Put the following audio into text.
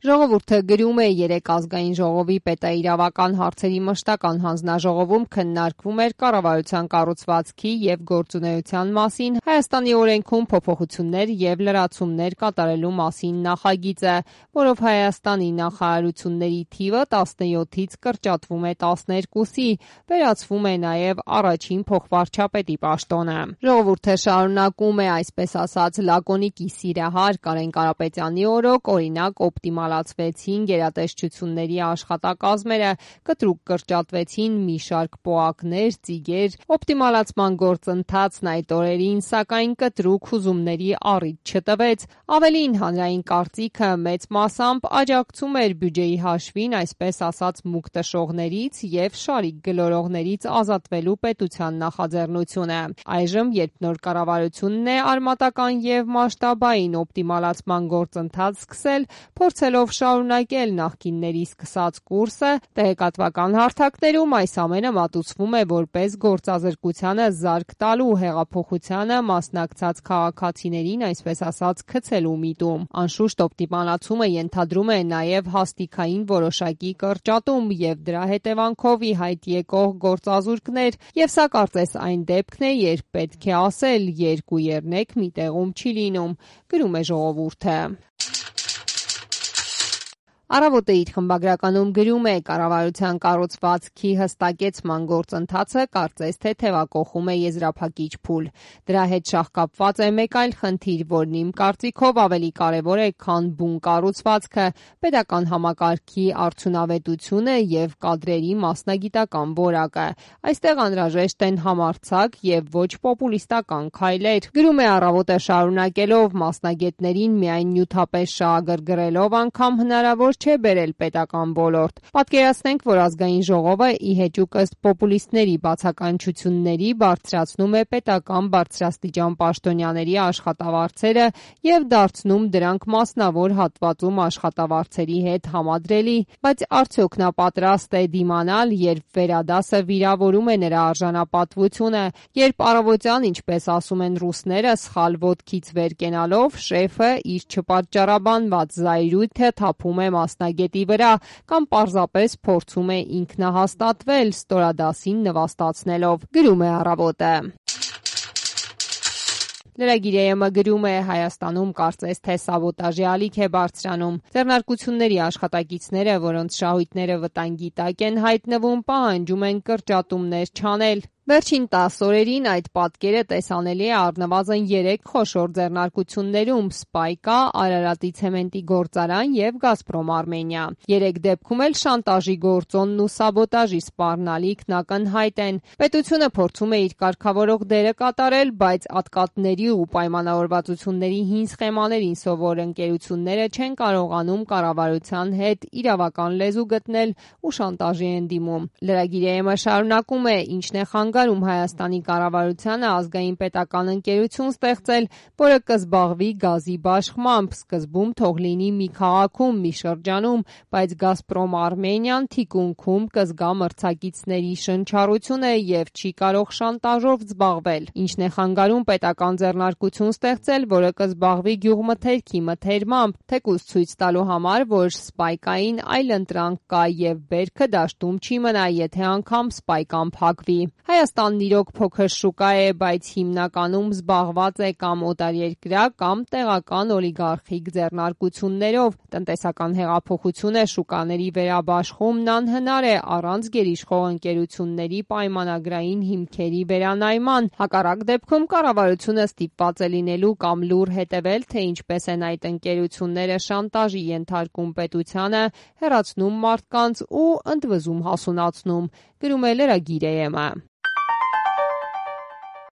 Ժողովուրդը գրում է երեկ ազգային ժողովի պետաիրավական հարցերի մշտական հանձնաժողովում քննարկվում էր կառավարության կառուցվածքի և գործունեության մասին Հայաստանի օրենքում փոփոխություններ և լրացումներ կատարելու մասին նախագիծը, որով Հայաստանի նախարարությունների թիվը 17-ից կրճատվում է 12-ի, վերացվում է նաև առաջին փոխվարչապետի պաշտոնը։ Ժողովուրդը շարունակում է այսպես ասած լակոնիկի սիրահար Կարեն Կարապետյանի օրոք, օրինակ օպտիմալացվեցին գերատեսչությունների աշխատակազմերը, կտրուկ կրճատվեցին մի շարք պոակներ, ծիգեր, օպտիմալացման գործընթացն այդ օրերին, սակայն կտրուկ հուզումների առիթ չտվեց, ավելին հանրային կարծիքը մեծ մասամբ աջակցում էր բյուջեի հաշվին այսպես ասած մուկ տշողներից և շարիկ գլորողներից ազատվելու պետության նախաձեռնությունը։ Այժմ, երբ նոր կառավարությունն է արմատական և մասշտաբային օպտիմալացման գործընթաց սկսել, փորձելով շարունակել նախկինների սկսած կուրսը, տեղեկատվական հարթակներում այս ամենը մատուցվում է որպես գործազրկությանը զարկ տալու, հեղափոխությանը մասնակցած քաղաքացիներին այսպես ասած գցելու միտում։ Անշուշտ օպտիմալացումը ենթադրում է նաև հաստիքային որոշակի կրճատում և դրա հետևանքով ի հայտ եկող գործազուրկներ, և սա կարծես այն դեպքն է, երբ պետք է ասել՝ երկու եռնեք մի տեղում չի լինում, գրում է Ժողովուրդը։ Առավոտը իր խմբագրականում գրում է. կառավարության կառուցվածքի հստակեցման գործընթացը կարծես թե թևակողում է եզրափակիչ փուլ։ Դրա հետ շահկապված է մեկ այլ խնդիր, որն իմ կարծիքով ավելի կարևոր է, քան բուն կառուցվածքը, պետական համակարգի արդյունավետությունը և կադրերի մասնագիտական որակը։ Այստեղ անհրաժեշտ են համարձակ և ոչ պոպուլիստական քայլեր։ Գրում է Առավոտը շարունակելով. մասնագետներին միայն նյութապես շահագրգռելով անգամ հնարավոր չէ բերել պետական ոլորտ։ Պատկերացնենք, որ ազգային ժողովը ի հեճուկ ըստ պոպուլիստների բացականչությունների բարձրացնում է պետական բարձրաստիճան պաշտոնյաների աշխատավարձերը և դարձնում դրանք մասնավոր հատվածում աշխատավարձերի հետ համադրելի, բայց արդյոք նա պատրաստ է դիմանալ, երբ վերադասը վիրավորում է նրա արժանապատվությունը, երբ առավոտյան, ինչպես ասում են ռուսները, սխալ ոտքից վեր կենալով, շեֆը իր չպատճառաբանված զայրույթը թափում է մասնագետի վրա կամ պարզապես փորձում է ինքնահաստատվել ստորադասին նվաստացնելով, գրում է Առավոտը։ Lragir.am-ը գրում է. Հայաստանում կարծես թե սաբոտաժի ալիք է բարձրանում։ Ձեռնարկությունների աշխատակիցները, որոնց շահույթները վտանգի տակ են հայտնվում, պահանջում են կրճատումներ չանել։ Վերջին 10 օրերին այդ պատկերը տեսանելի է առնվազն 3 խոշոր ձեռնարկություններում՝ Սպայկա, Արարատի ցեմենտի գործարան և Գազպրոմ Արմենիա։ 3 դեպքում էլ շանտաժի գործոնն ու սաբոտաժի սպառնալիքն ակնհայտ են։ Պետությունը փորձում է իր կարգավորող դերը կատարել, բայց ատկատների ու պայմանավորվածությունների հին սխեմաներին սովոր ընկերությունները չեն կարողանում կառավարության հետ իրավական լեզու գտնել ու շանտաժի են դիմում։ Lragir.am-ը շարունակում է. ինչն է խանգարում Հայաստանի կառավարությանը ազգային պետական ընկերություն ստեղծել, որը կզբաղվի գազի բաշխմամբ, սկզբում թող լինի մի քաղաքում, մի շրջանում, բայց Գազպրոմ Արմենիան թիկունքում կզգա մրցակիցների շնչառությունը և չի կարող շանտաժով զբաղվել։ Ինչն է խանգարում պետական ձեռնարկություն ստեղծել, որը կզբաղվի գյուղմթերքի մթերմամբ, թեկուզ ցույց տալու համար, որ Սպայկային այլընտրանք կա և բերքը դաշտում չի մնա, եթե անգամ Սպայկան փակվի։ Հայաստանն իրոք փոքր շուկա է, բայց հիմնականում զբաղված է կամ օտարերկրյա կամ տեղական օլիգարխիկ ձեռնարկություններով։ Տնտեսական հեղափոխությունը, շուկաների վերաբաշխումն անհնար է առանց գերիշխող ընկերությունների պայմանագրային հիմքերի վերանայման։ Հակառակ դեպքում կառավարությունը ստիպված է լինելու կամ լուռ հետևել, թե ինչպես են այդ ընկերությունները շանտաժի ենթարկում պետությանը, հեռացնում մարդկանց ու ընդվզում հասունացնում, գրում է Lragir.am-ը։